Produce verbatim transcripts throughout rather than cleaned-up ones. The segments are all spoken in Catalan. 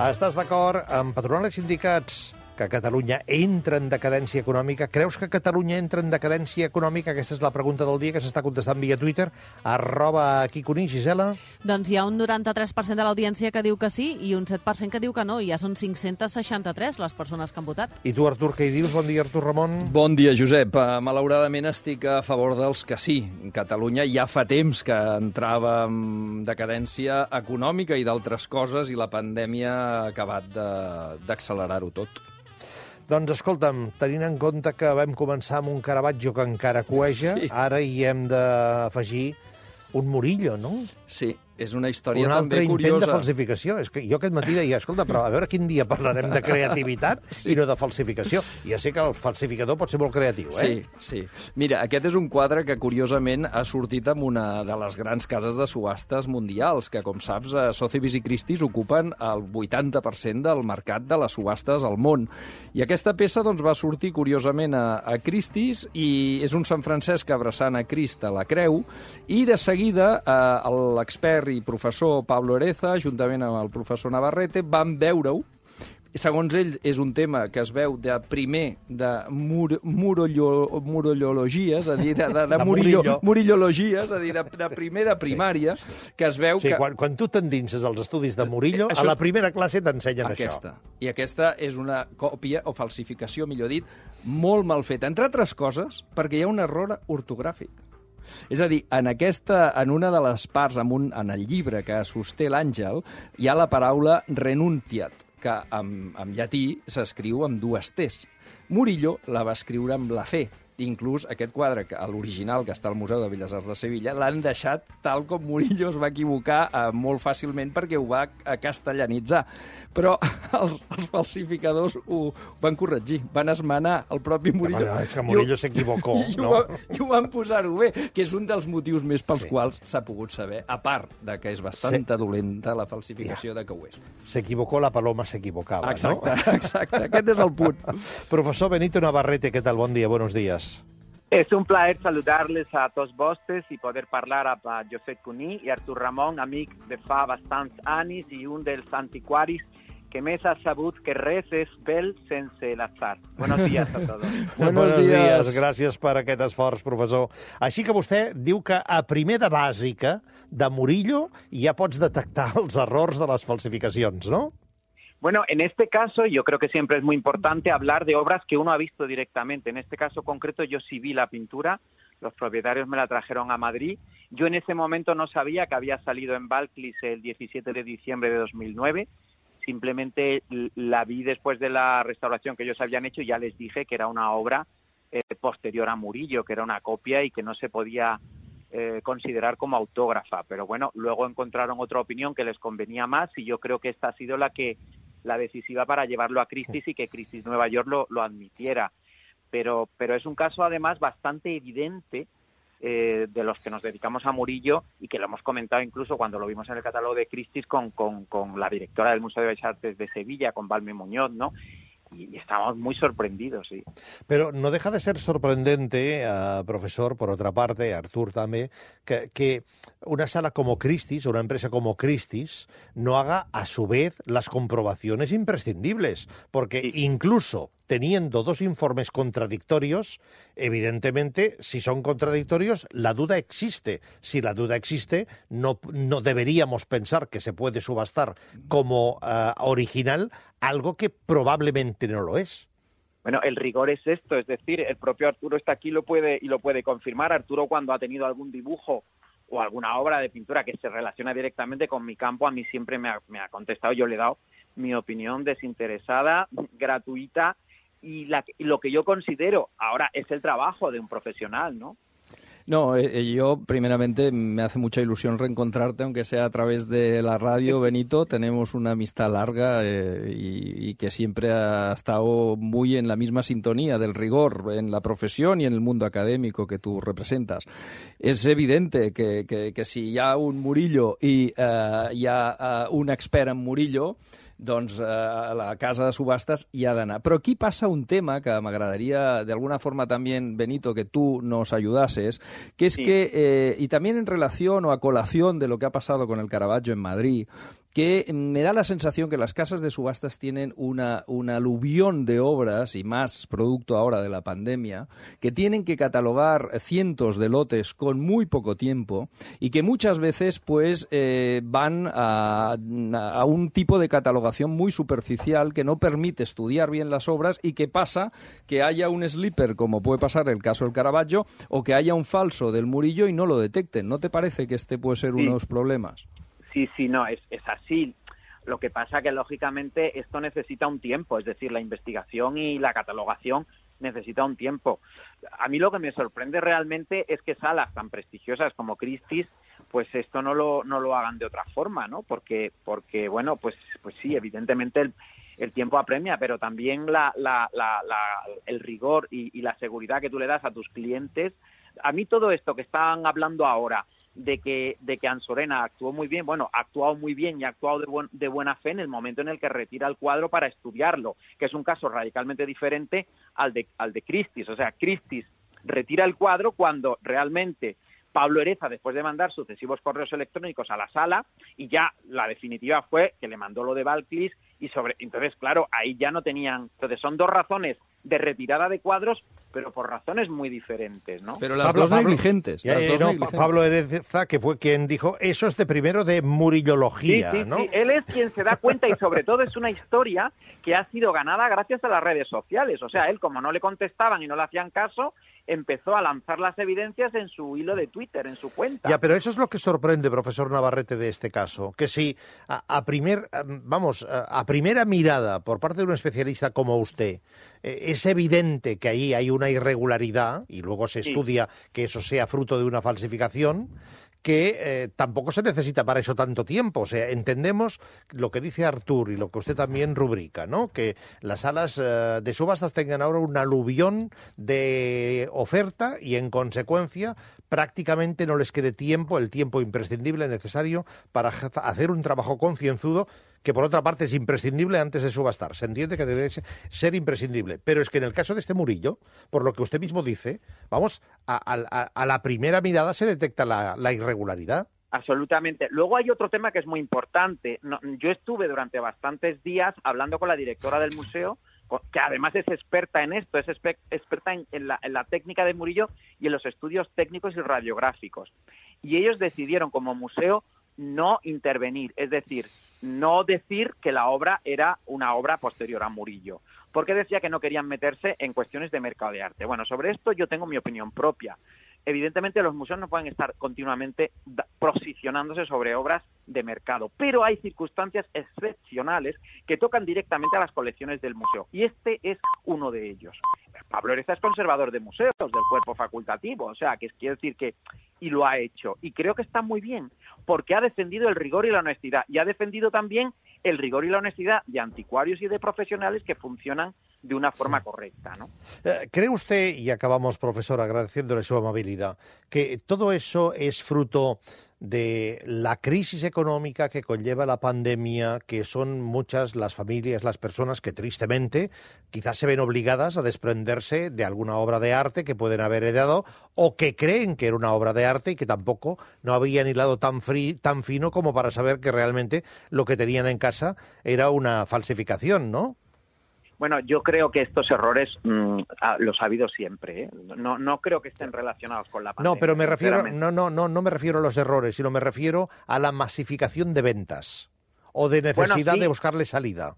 Estàs d'acord amb patronal i sindicats que Catalunya entra en decadència econòmica? Creus que Catalunya entra en decadència econòmica? Aquesta és la pregunta del dia que s'està contestant via Twitter. Arroba Quiconí, Gisela. Doncs hi ha un noranta-tres per cent de l'audiència que diu que sí i un set per cent que diu que no. I ja són cinc-cents seixanta-tres les persones que han votat. I tu, Artur, què hi dius? Bon dia, Artur Ramon. Bon dia, Josep. Uh, malauradament estic a favor dels que sí. Catalunya ja fa temps que entrava en decadència econòmica i d'altres coses i la pandèmia ha acabat d'accelerar-ho tot. Doncs escolta'm, tenint en compte que vam començar amb un Caravaggio que encara cueja, sí. Ara hi hem d'afegir un Murillo, no? Sí, és una història un també curiosa. Un altre intent de falsificació. És que jo aquest matí deia, escolta, però a veure quin dia parlarem de creativitat sí. i no de falsificació. Ja sé que el falsificador pot ser molt creatiu, eh? Sí, sí. Mira, aquest és un quadre que, curiosament, ha sortit amb una de les grans cases de subhastes mundials, que, com saps, Sotheby's i Christie's ocupen el vuitanta per cent del mercat de les subhastes al món. I aquesta peça doncs, va sortir, curiosament, a, a Christie's i és un Sant Francesc abraçant a Crist a la creu i, de seguida, eh, l'expert i professor Pablo Ereza, juntament amb el professor Navarrete, van veure-ho. Segons ells, és un tema que es veu de primer de mur, murollo, murollologies, a dir, de, de, de, de murillo, murillologies, a dir, de, de primer de primària, sí. que es veu sí, que... Quan, quan tu t'endinses als estudis de Murillo, això... a la primera classe t'ensenyen aquesta. això. I aquesta és una còpia, o falsificació, millor dit, molt mal feta. Entre altres coses, perquè hi ha un error ortogràfic. És a dir, en, aquesta, en una de les parts, en, un, en el llibre que sosté l'Àngel, hi ha la paraula renuntiat, que en, en llatí s'escriu amb dues T's. Murillo la va escriure amb la C. Inclús aquest quadre, l'original que està al Museu de Belles Arts de Sevilla, l'han deixat tal com Murillo es va equivocar eh, molt fàcilment perquè ho va castellanitzar. Però els, els falsificadors ho van corregir, van esmenar el propi Murillo. Bueno, és que Murillo s'equivocó, I, no? ho, I ho van posar-ho bé, que és un dels motius més pels sí. quals s'ha pogut saber, a part de que és bastant sí. dolenta la falsificació ja. de que ho és. S'equivocó, la paloma s'equivocava, exacte, no? Exacte, aquest és el punt. Profesor Benito Navarrete, ¿qué tal? Bon dia, buenos días. Es un plaer saludarles a tots vostres i poder parlar amb Josep Cuní i Artur Ramon, amic de fa bastants anys i un dels antiquaris que més ha sabut que res és bel sense l'atzar. Buenos días a todos. Buenos días. Gràcies per aquest esforç, professor. Així que vostè diu que a primer de bàsica de Murillo ja pots detectar els errors de les falsificacions, no? Bueno, en este caso yo creo que siempre es muy importante hablar de obras que uno ha visto directamente. En este caso concreto yo sí vi la pintura, los propietarios me la trajeron a Madrid. Yo en ese momento no sabía que había salido en Balclis el diecisiete de diciembre de dos mil nueve. Simplemente la vi después de la restauración que ellos habían hecho y ya les dije que era una obra eh, posterior a Murillo, que era una copia y que no se podía eh, considerar como autógrafa. Pero bueno, luego encontraron otra opinión que les convenía más y yo creo que esta ha sido la que la decisiva para llevarlo a Christie's y que Christie's Nueva York lo, lo admitiera. Pero, pero es un caso además bastante evidente eh, de los que nos dedicamos a Murillo y que lo hemos comentado incluso cuando lo vimos en el catálogo de Christie's con, con, con la directora del Museo de Bellas Artes de Sevilla, con Balme Muñoz, ¿no? Y estamos muy sorprendidos, sí. Pero no deja de ser sorprendente, uh, profesor, por otra parte, Artur también, que, que una sala como Christie's, una empresa como Christie's, no haga a su vez las comprobaciones imprescindibles, porque sí. incluso teniendo dos informes contradictorios, evidentemente, si son contradictorios, la duda existe. Si la duda existe, no, no deberíamos pensar que se puede subastar como uh, original algo que probablemente no lo es. Bueno, el rigor es esto, es decir, el propio Arturo está aquí lo puede, y lo puede confirmar. Arturo, cuando ha tenido algún dibujo o alguna obra de pintura que se relaciona directamente con mi campo, a mí siempre me ha, me ha contestado, yo le he dado mi opinión desinteresada, gratuita, y, la, y lo que yo considero ahora es el trabajo de un profesional, ¿no? No, eh, yo primeramente me hace mucha ilusión reencontrarte, aunque sea a través de la radio, Benito. Tenemos una amistad larga eh, y, y que siempre ha estado muy en la misma sintonía del rigor en la profesión y en el mundo académico que tú representas. Es evidente que, que, que si hi ha un Murillo i eh, hi ha eh, un expert en Murillo, doncs eh, a la casa de subhastes hi ha d'anar. Però aquí passa un tema que m'agradaría, de alguna forma también, Benito, que tú nos ayudases, que es sí. que, eh, y también en relación o a colación de lo que ha pasado con el Caravaggio en Madrid, que me da la sensación que las casas de subastas tienen una, una aluvión de obras, y más producto ahora de la pandemia, que tienen que catalogar cientos de lotes con muy poco tiempo y que muchas veces pues eh, van a, a un tipo de catalogación muy superficial que no permite estudiar bien las obras y que pasa que haya un slipper, como puede pasar el caso del Caravaggio, o que haya un falso del Murillo y no lo detecten. ¿No te parece que este puede ser Sí. uno de los problemas? Sí, sí, no, es, es así. Lo que pasa que, lógicamente, esto necesita un tiempo, es decir, la investigación y la catalogación necesita un tiempo. A mí lo que me sorprende realmente es que salas tan prestigiosas como Christie's, pues esto no lo no lo hagan de otra forma, ¿no? Porque, porque bueno, pues pues sí, evidentemente el, el tiempo apremia, pero también la, la, la, la, el rigor y, y la seguridad que tú le das a tus clientes. A mí todo esto que están hablando ahora, de que de que Ansorena actuó muy bien, bueno, ha actuado muy bien y ha actuado de, buen, de buena fe en el momento en el que retira el cuadro para estudiarlo, que es un caso radicalmente diferente al de al de Christie's. O sea, Christie's retira el cuadro cuando realmente Pablo Ereza, después de mandar sucesivos correos electrónicos a la sala, y ya la definitiva fue que le mandó lo de Balclis, y sobre entonces, claro, ahí ya no tenían... Entonces son dos razones de retirada de cuadros, pero por razones muy diferentes, ¿no? Pero las Pablo, dos Pablo, negligentes. Ya, las eh, dos no, negligentes. Pablo Ereza, que fue quien dijo, eso es de primero de Murillología, Sí, sí, ¿no? sí, él es quien se da cuenta, y sobre todo es una historia que ha sido ganada gracias a las redes sociales. O sea, él, como no le contestaban y no le hacían caso, empezó a lanzar las evidencias en su hilo de Twitter, en su cuenta. Ya, pero eso es lo que sorprende, profesor Navarrete, de este caso, que si a, a primer, vamos, a primera mirada por parte de un especialista como usted eh, es evidente que ahí hay una irregularidad y luego se Sí. estudia que eso sea fruto de una falsificación, que eh, tampoco se necesita para eso tanto tiempo. O sea, entendemos lo que dice Artur y lo que usted también rubrica, ¿no? Que las salas eh, de subastas tengan ahora un aluvión de oferta y, en consecuencia, prácticamente no les quede tiempo, el tiempo imprescindible necesario para hacer un trabajo concienzudo, que por otra parte es imprescindible antes de subastar. Se entiende que debe ser imprescindible. Pero es que en el caso de este Murillo, por lo que usted mismo dice, vamos, a, a, a la primera mirada se detecta la, la irregularidad. Absolutamente. Luego hay otro tema que es muy importante. No, yo estuve durante bastantes días hablando con la directora del museo, que además es experta en esto, es experta en, en, la, en la técnica de Murillo y en los estudios técnicos y radiográficos. Y ellos decidieron como museo no intervenir, es decir, no decir que la obra era una obra posterior a Murillo, porque decía que no querían meterse en cuestiones de mercado de arte. Bueno, sobre esto yo tengo mi opinión propia. Evidentemente los museos no pueden estar continuamente posicionándose sobre obras de mercado, pero hay circunstancias excepcionales que tocan directamente a las colecciones del museo, y este es uno de ellos. Pablo Ereza es conservador de museos, del cuerpo facultativo, o sea, que quiere decir que, y lo ha hecho, y creo que está muy bien, porque ha defendido el rigor y la honestidad, y ha defendido también el rigor y la honestidad de anticuarios y de profesionales que funcionan de una forma correcta, ¿no? ¿Cree usted, y acabamos, profesor, agradeciéndole su amabilidad, que todo eso es fruto de la crisis económica que conlleva la pandemia, que son muchas las familias, las personas que tristemente quizás se ven obligadas a desprenderse de alguna obra de arte que pueden haber heredado o que creen que era una obra de arte y que tampoco no habían hilado tan, fri- tan fino como para saber que realmente lo que tenían en casa era una falsificación, ¿no? Bueno, yo creo que estos errores mmm, los ha habido siempre, ¿eh? No, no creo que estén relacionados con la pandemia. No, pero me refiero, no, no, no, no me refiero a los errores, sino me refiero a la masificación de ventas o de necesidad bueno, sí. de buscarle salida.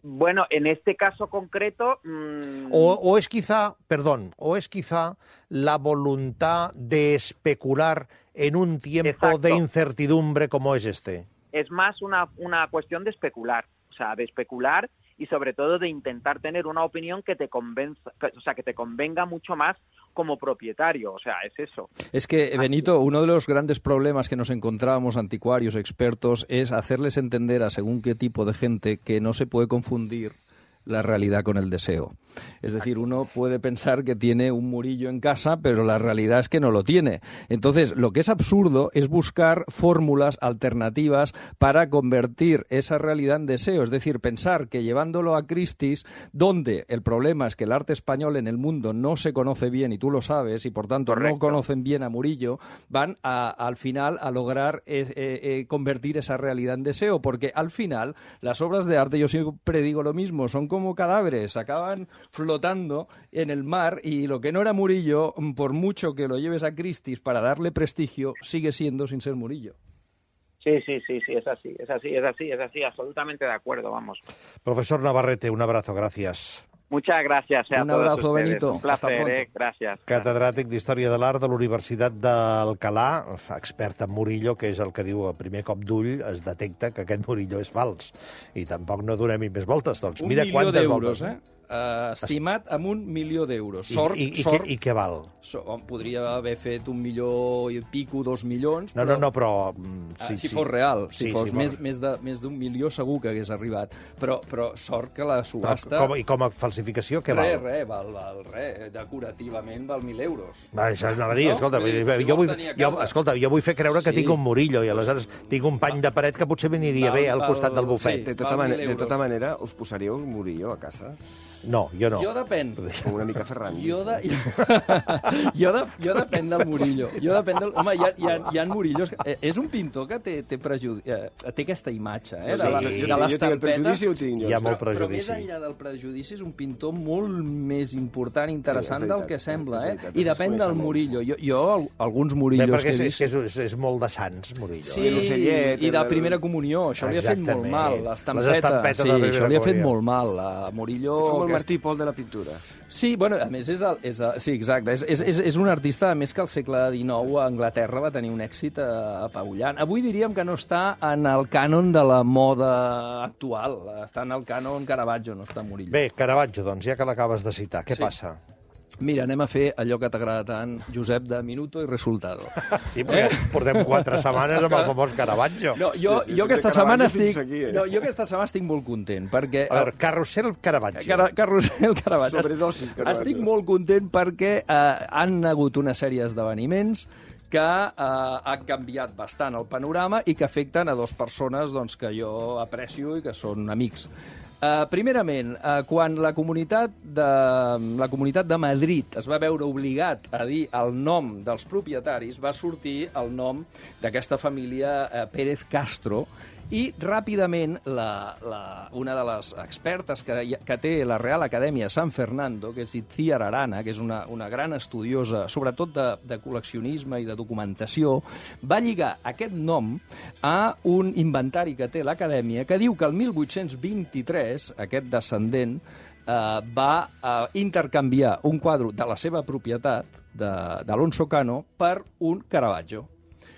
Bueno, en este caso concreto... Mmm... O, o es quizá, perdón, o es quizá la voluntad de especular en un tiempo Exacto. de incertidumbre como es este. Es más una, una cuestión de especular, o sea, de especular y sobre todo de intentar tener una opinión que te convenza, o sea, que te convenga mucho más como propietario, o sea, es eso. Es que, Benito, uno de los grandes problemas que nos encontrábamos anticuarios, expertos, es hacerles entender a según qué tipo de gente que no se puede confundir la realidad con el deseo. Es decir, uno puede pensar que tiene un Murillo en casa, pero la realidad es que no lo tiene. Entonces, lo que es absurdo es buscar fórmulas alternativas para convertir esa realidad en deseo. Es decir, pensar que llevándolo a Christie's, donde el problema es que el arte español en el mundo no se conoce bien, y tú lo sabes, y por tanto Correcto. No conocen bien a Murillo, van a, al final a lograr eh, eh, convertir esa realidad en deseo, porque al final las obras de arte, yo siempre digo lo mismo, son como cadáveres, acaban flotando en el mar, y lo que no era Murillo, por mucho que lo lleves a Christie's para darle prestigio, sigue siendo sin ser Murillo. Sí, sí, sí, sí, es así, es así, es así, es así, absolutamente de acuerdo, vamos. Profesor Navarrete, un abrazo, gracias. Muchas gracias eh, a un todos abrazo, ustedes. Benito. Un placer, eh? Gràcies. Catedràtic d'Història de l'Art de la Universitat d'Alcalà, expert en Murillo, que és el que diu a primer cop d'ull es detecta que aquest Murillo és fals. I tampoc no donem-hi més voltes. Doncs un mira milió quantes d'euros, voltes. eh? Uh, estimat amb un milió d'euros. Sort, I, i, i, sort, i, I què val? So, podria haver fet un milió i pico, dos milions. No, però, no, no, però... Mm, sí, uh, si sí. fos real, si sí, fos sí, més, més d'un més milió segur que hagués arribat. Però, però sort que la subhasta... Com, I com a falsificació, què re, val? Re, val, val, re. Decorativament val mil euros. Va, això és una dir, No? escolta, Vull dir, jo, si jo, vols vull, tenir a jo, casa. escolta, jo vull fer creure que Sí. tinc un Murillo i aleshores tinc un pany de paret que potser m'aniria Val, bé al val, costat del bufet. sí. De tota, Val mane mil de tota euros. manera, us posaríeu un Murillo a casa? No, jo no. Jo depèn. Com una mica Ferran. Jo, de, jo, de, jo depèn del Murillo. Jo depèn del... Home, hi ha, hi ha, hi ha Murillos... Eh, és un pintor que té, té, prejudi... eh, té aquesta imatge, eh? De la, Sí, de jo Jo tinc el prejudici, ho tinc jo. Hi ha molt però, però prejudici. més enllà del prejudici és un pintor molt més important i interessant Sí, és veritat, del que sembla, és eh? veritat, I es depèn coneixen del molts. Murillo. Jo, jo al- alguns Bé, Murillos perquè que és, he és, vist... és, és molt de sants, Murillo. Sí, I l'ocellet, i de el- primera comunió. Això li ha fet molt Exactament. mal. Les L'estampeta. estampetes Sí, de primera això li ha fet comunió. molt mal. A Murillo... És com el que Martí Pol de la pintura. Sí, bueno, a més, és el, és el, sí, exacte. És, és, és, és un artista, a més, que al segle dinou a Anglaterra va tenir un èxit eh, apabullant. Avui diríem que no està en el cànon de la moda actual. Està en el cànon Caravaggio, no està Murillo. Bé, Caravaggio, doncs, ja que l'acabes de citar, què Sí. passa? Mira, anem a fer allò que t'agrada tant, Josep, de minuto i resultado. Sí, perquè eh? portem quatre setmanes amb el famós Caravaggio. No, jo, Sí, sí, jo de aquesta Caravaggio setmana fins estic... aquí, eh? No, jo aquesta setmana estic molt content, perquè... A veure, Carrusel Caravaggio. Car Carrusel Caravaggio. Sobredosis Caravaggio. Estic molt content perquè eh, han hagut una sèrie d'esdeveniments que eh, han canviat bastant el panorama i que afecten a dues persones doncs, que jo aprecio i que són amics. Uh, primerament, uh, quan la comunitat, de, la comunitat de Madrid es va veure obligat a dir el nom dels propietaris, va sortir el nom d'aquesta família uh, Pérez Castro, i ràpidament la, la, una de les expertes que, que té la Real Acadèmia San Fernando, que és Itziar Arana, que és una, una gran estudiosa, sobretot de, de col·leccionisme i de documentació, va lligar aquest nom a un inventari que té l'Acadèmia que diu que el mil vuit-cents vint-i-tres aquest descendent eh, va eh, intercanviar un quadre de la seva propietat, d'Alonso Cano, per un Caravaggio.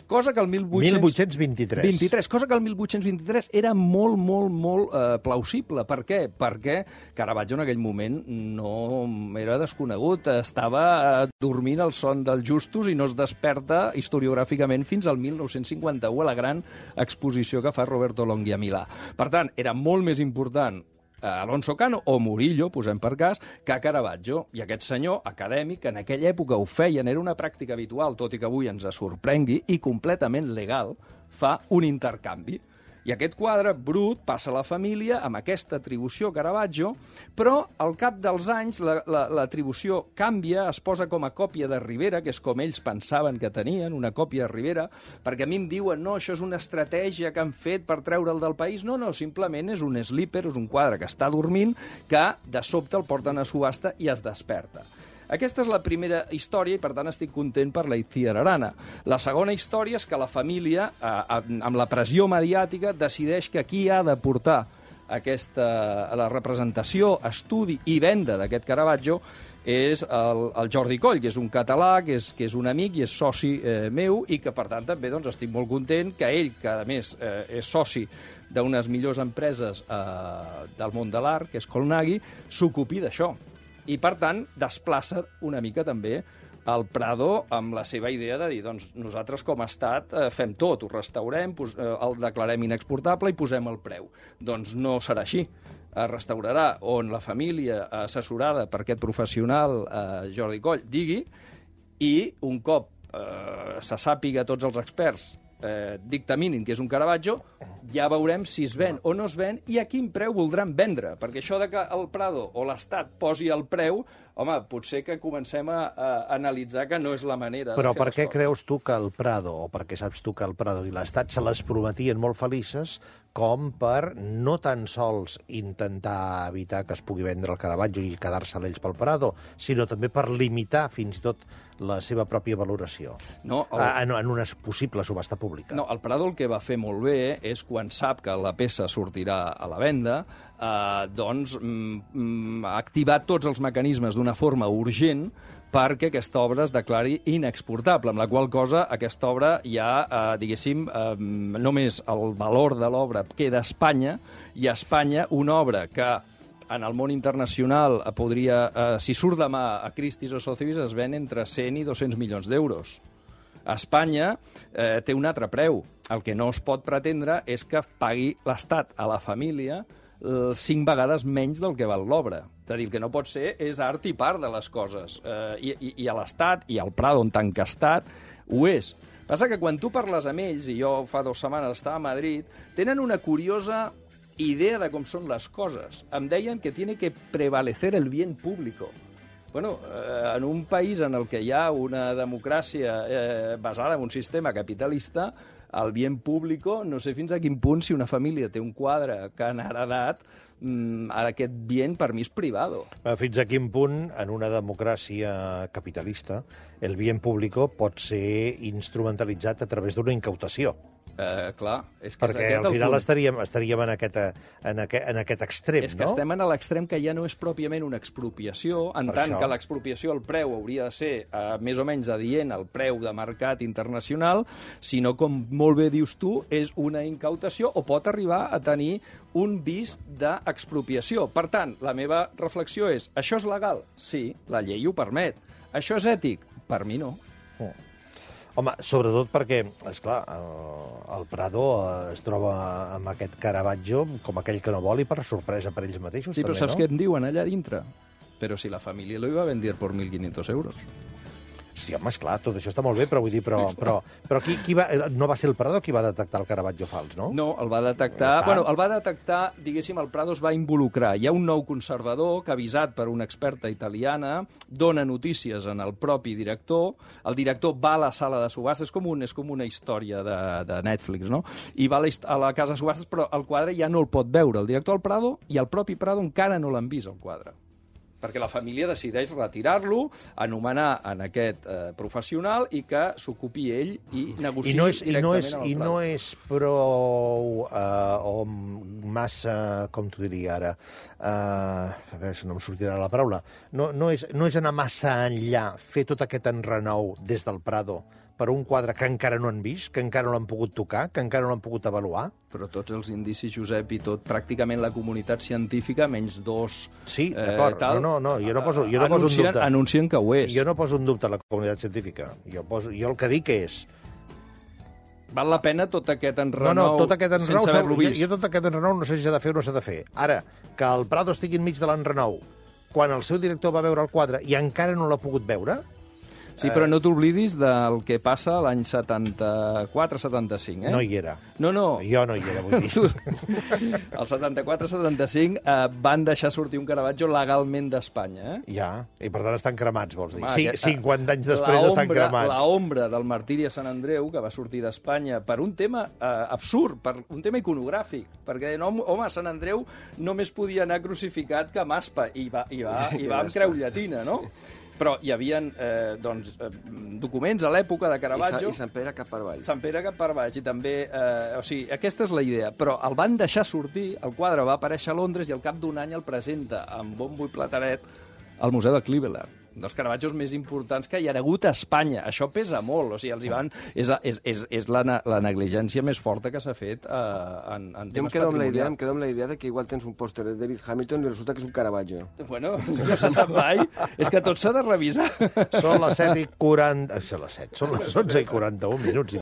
Cosa que el mil vuit-cents... mil vuit-cents vint-i-tres. vint-i-tres, cosa que el mil vuit-cents vint-i-tres era molt, molt, molt eh, plausible. Per què? Perquè Caravaggio en aquell moment no era desconegut, estava eh, dormint el son dels justos i no es desperta historiogràficament fins al mil nou-cents cinquanta-u a la gran exposició que fa Roberto Longhi a Milà. Per tant, era molt més important Alonso Cano o Murillo, posem per cas, que Caravaggio. I aquest senyor acadèmic, que en aquella època ho feien, era una pràctica habitual, tot i que avui ens sorprengui, i completament legal, fa un intercanvi. I aquest quadre brut passa a la família amb aquesta atribució Caravaggio, però al cap dels anys l'atribució la, la canvia, es posa com a còpia de Rivera, que és com ells pensaven que tenien, una còpia de Rivera, perquè a mi em diuen, no, això és una estratègia que han fet per treure'l del país. No, no, simplement és un slipper, és un quadre que està dormint, que de sobte el porten a subhasta i es desperta. Aquesta és la primera història i, per tant, estic content per la Itziar Arana. La segona història és que la família, eh, amb la pressió mediàtica, decideix que qui ha de portar aquesta, la representació, estudi i venda d'aquest Caravaggio és el, el Jordi Coll, que és un català, que és, que és un amic i és soci eh, meu, i que, per tant, també doncs, estic molt content que ell, que a més eh, és soci d'unes millors empreses eh, del món de l'art, que és Colnaghi, s'ocupi d'això. I, per tant, desplaça una mica també el Prado amb la seva idea de dir, doncs nosaltres com a estat eh, fem tot, ho restaurem, pos, eh, el declarem inexportable i posem el preu. Doncs no serà així. Es restaurarà on la família assessorada per aquest professional, eh, Jordi Coll, digui, i un cop eh, se sàpiga tots els experts eh, dictaminin que és un Caravaggio, ja veurem si es ven o no es ven i a quin preu voldran vendre, perquè això de que el Prado o l'Estat posi el preu, home, potser que comencem a, a analitzar que no és la manera Però de fer per les què coses. creus tu que el Prado, o per què saps tu que el Prado i l'Estat se les prometien molt felices com per no tan sols intentar evitar que es pugui vendre el Caravaggio i quedar-se ells pel Prado, sinó també per limitar fins i tot la seva pròpia valoració No, el... en, en una possible subhasta pública? No, el Prado el que va fer molt bé és quan sap que la peça sortirà a la venda, eh, doncs mm, activar tots els mecanismes d'una forma urgent perquè aquesta obra es declari inexportable, amb la qual cosa aquesta obra ja, eh, diguéssim, eh, només el valor de l'obra queda a Espanya, i a Espanya una obra que en el món internacional podria, eh, si surt demà a Christie's o Sotheby's, es ven entre cent i dos-cents milions d'euros. A Espanya eh, té un altre preu. El que no es pot pretendre és que pagui l'Estat a la família eh, cinc vegades menys del que val l'obra. És a dir, el que no pot ser és art i part de les coses. Eh, i, i, I a l'Estat, i al Prado, en tant que Estat, ho és. Passa que quan tu parles amb ells, i jo fa dues setmanes estava a Madrid, tenen una curiosa idea de com són les coses. Em deien que tiene que prevalecer el bien público. Bueno, eh, en un país en el que hi ha una democràcia eh, basada en un sistema capitalista, el bien público, no sé fins a quin punt, si una família té un quadre que han heredat, mm, aquest bien per mi és privado. Fins a quin punt, en una democràcia capitalista, el bien público pot ser instrumentalitzat a través d'una incautació? Eh, clar, és que Perquè és aquest al el final punt. estaríem, estaríem en, aquest, en, aquest, en aquest extrem, És que no? estem en l'extrem que ja no és pròpiament una expropiació, en Per tant això. que l'expropiació, el preu hauria de ser eh, més o menys adient al preu de mercat internacional, sinó, com molt bé dius tu, és una incautació o pot arribar a tenir un vis d'expropiació. Per tant, la meva reflexió és, això és legal? Sí, la llei ho permet. Això és ètic? Per mi no. Oh. Home, sobretot perquè, esclar, el Prado es troba amb aquest Caravaggio com aquell que no vol i per sorpresa per ells mateixos. Sí, però també, saps no? què em diuen allà dintre? Però si la família lo iba a vender por mil quinientos euros. Sí, home, esclar, tot això està molt bé, però vull dir, però, però, però qui, qui va, no va ser el Prado qui va detectar el Caravaggio fals, no? No, el va detectar... Ja està. Bueno, el va detectar, diguéssim, el Prado es va involucrar. Hi ha un nou conservador que, avisat per una experta italiana, dona notícies en el propi director. El director va a la sala de subhastes, és com, un, és com una història de, de Netflix, no? I va a la, a la casa de subhastes, però el quadre ja no el pot veure. El director del Prado i el propi Prado encara no l'han vist, el quadre. Perquè la família decideix retirar-lo, anomenar en aquest eh, professional i que s'ocupi ell i negociï I no és, i directament no és, amb el i Prado. no és prou uh, o massa, com t'ho diria ara, uh, a veure si no em sortirà la paraula, no, no, és, no és anar massa enllà, fer tot aquest enrenou des del Prado per un quadre que encara no han vist, que encara no l'han pogut tocar, que encara no l'han pogut avaluar? Però tots els indicis, Josep, i tot, pràcticament la comunitat científica, menys dos... Sí, eh, d'acord. tal, No, no, no, jo no poso, jo no poso un anuncien, dubte. anuncien que ho és. Jo no poso un dubte a la comunitat científica. Jo, poso, jo el que dic és... Val la pena tot aquest No, enrenou no, tot aquest enrenou, sense haver-lo jo, vist? jo tot aquest enrenou no sé si s'ha de fer o no s'ha de fer. Ara, que el Prado estigui enmig de l'enrenou, quan el seu director va veure el quadre i encara no l'ha pogut veure... Sí, però no t'oblidis del que passa l'any setanta-quatre setanta-cinc, eh? No hi era. No, no. Jo no hi era, vull dir. El setanta-quatre setanta-cinc eh, van deixar sortir un Caravaggio legalment d'Espanya, eh? Ja, i per tant estan cremats, vols dir. Home, Sí, aquest- cinquanta anys després la estan ombra, cremats. La ombra del martiri a Sant Andreu, que va sortir d'Espanya per un tema eh, absurd, per un tema iconogràfic, perquè no, home, a Sant Andreu només podia anar crucificat que amb aspa, i va, i va, i va amb creu llatina, no? Però hi havia eh, doncs, eh, documents a l'època de Caravaggio... I, sa, I Sant Pere cap per avall. Sant Pere cap per baix, i també... Eh, o sigui, aquesta és la idea, però el van deixar sortir, el quadre va aparèixer a Londres i al cap d'un any el presenta amb bombo i plateret al Museu de Cleveland. dels Caravaggios més importants que hi ha hagut a Espanya. Això pesa molt, o sigui, els hi van... És, és, és, és la, la negligència més forta que s'ha fet eh, en, en temes jo em quedo, amb la idea, patrimonials. em quedo amb la idea de que igual tens un pòster de David Hamilton i resulta que és un Caravaggio. Bueno, no se sap mai. És que tot s'ha de revisar. Són les set i quaranta... Són les set, són les onze i quaranta-un minuts.